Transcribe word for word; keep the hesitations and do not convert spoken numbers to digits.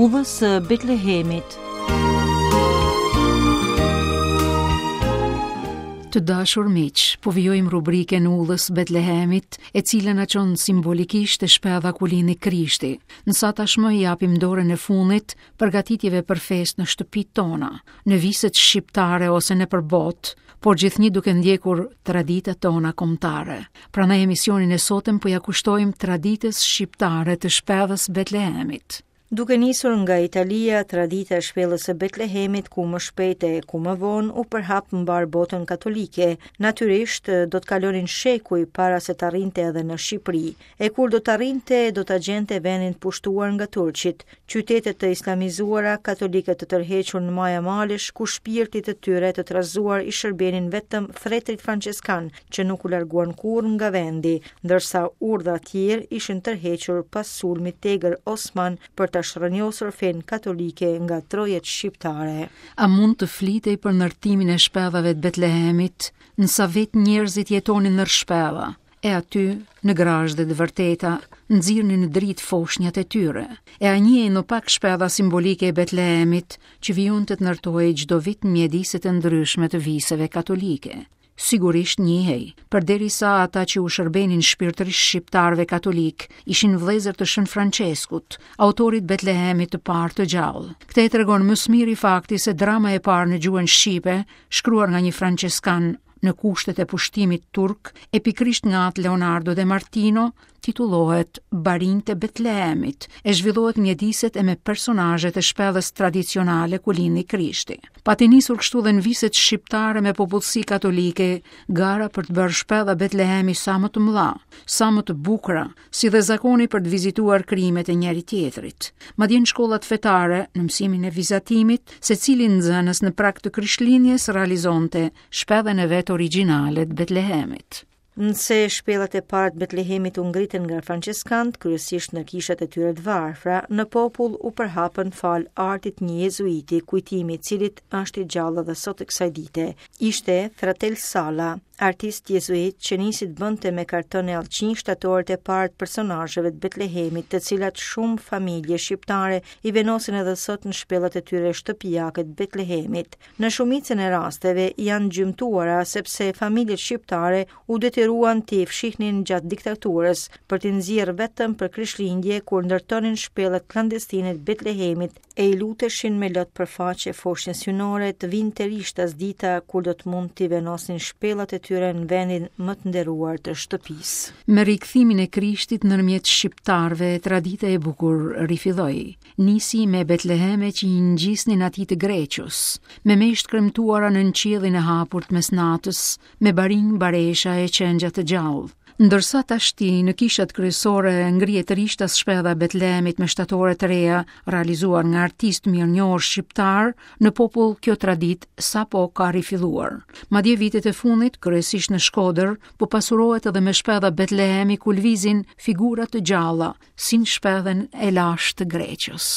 Udhës së Betlehemit. Të dashur miq, po vijojmë rubrikën Udhës Betlehemit, e cila na çon simbolikisht te shpella ku lindi Krishti. Nësa tashmë i japim dorën e fundit përgatitjeve për festë në shtëpitë tona, në viset shqiptare ose nëpër botë, por gjithnjë duke ndjekur traditat tona kombëtare. Prandaj emisionin e sotëm po ja kushtojmë traditës shqiptare të shpellës Betlehemit. Duke nisur nga Italia, tradita e shpellës së Betlehemit, ku më shpejt e ku më vonë u përhap mbar botën katolike, natyrisht do të kalonin shekuj para se të arrinte edhe në Shqipëri. E kur do të arrinte, do ta gjente vendin pushtuar nga turqit, qytete të islamizuara, katolike të tërhequr në maja malesh, ku shpirtit të tyre të trazuar i shërbenin vetëm fretrit françeskan, që nuk u larguan kurrë nga vendi, ndërsa urdhra tjerë ishin tërhequr pas sulmit tegër osman për ta shrënjosur fenë katolike nga trojet shqiptare. A mund të flitej për ndërtimin e shpellave të Betlehemit, nësa vetë njerëzit jetonin në shpella, e aty, në grazhde të vërteta, nxirrnin në dritë foshnjat e tyre. E a njihej në pak shpella simbolike e Betlehemit, që vijonte të ndërtohej çdo vit në mjediset e ndryshme të viseve katolike. Sigurisht njihej, përderisa ata që u shërbenin shpirtërisht shqiptarëve katolik ishin vëllezër të Shën Françeskut, autorit Betlehemit të parë të gjallë. Këtë e tregon më së miri fakti se drama e parë në gjuhën shqipe, shkruar nga një françeskan në kushtet e pushtimit turk, e pikërisht nga atë Leonardo de Martino, titullohet Barinjtë e Betlehemit, e zhvillohet mjediset e me personazhet e shpellës tradicionale ku lindi Krishti. Pati nisur kështu dhe në viset shqiptare me popullsi katolike, gara për të bërë shpella Betlehemi sa më të mëdha, sa më të bukura, si dhe zakoni për të vizituar krimet e njëri tjetrit. Madje në shkollat fetare, në mësimin e vizatimit, secili nxënës në prag të Krishtlindjes realizonte shpellën e vet origjinale të Betlehemit. Nëse shpellat e para të Betlehemit u ngritën nga françeskanët, kryesisht në kishat e tyre të varfra, në popull u përhapën fal artit një jezuiti, kujtimi i cilit është i gjallë edhe sot e kësaj dite. Ishte Fratel Sala, artist jezuit që nisi të bënte me karton e allçinj shtatoret e parë të personazheve të Betlehemit, të cilat shumë familje shqiptare i vendosin edhe sot në shpellat e tyre shtëpiake të Betlehemit. Në shumicën e rasteve janë gjymtuara sepse familjet shqiptare u detyruan t'i fshihnin gjatë diktaturës për t'i nxjerrë vetëm për Krishtlindje kur ndërtonin shpellat klandestine të Betlehemit e i luteshin me lot për faqe foshnjës hyjnore të vinte rishtas dita kur do të mund t'i vendosnin shpellat e tyre në vendin më të nderuar të shtëpisë. Me rikthimin e Krishtit ndërmjet shqiptarëve, tradita e bukur rifilloi. Nisi me Betleheme që i ngjisnin atij të Greqës, me meshtë kremtuara nën qiellin e hapur të mesnatës, me barinj baresha e qengja të gjallë. Ndërsa tashti në kishat kryesore ngrihet rishtas shpella e Betlehemit me shtatore të reja realizuar nga artistë mirënjohur shqiptar, në popull kjo traditë sapo ka rifilluar. Madje vitet e fundit, kryesisht në Shkodër, po pasurohet edhe me shpella Betlehemi ku lvizin figura të gjalla, si në shpellën e lashtë të Greqës.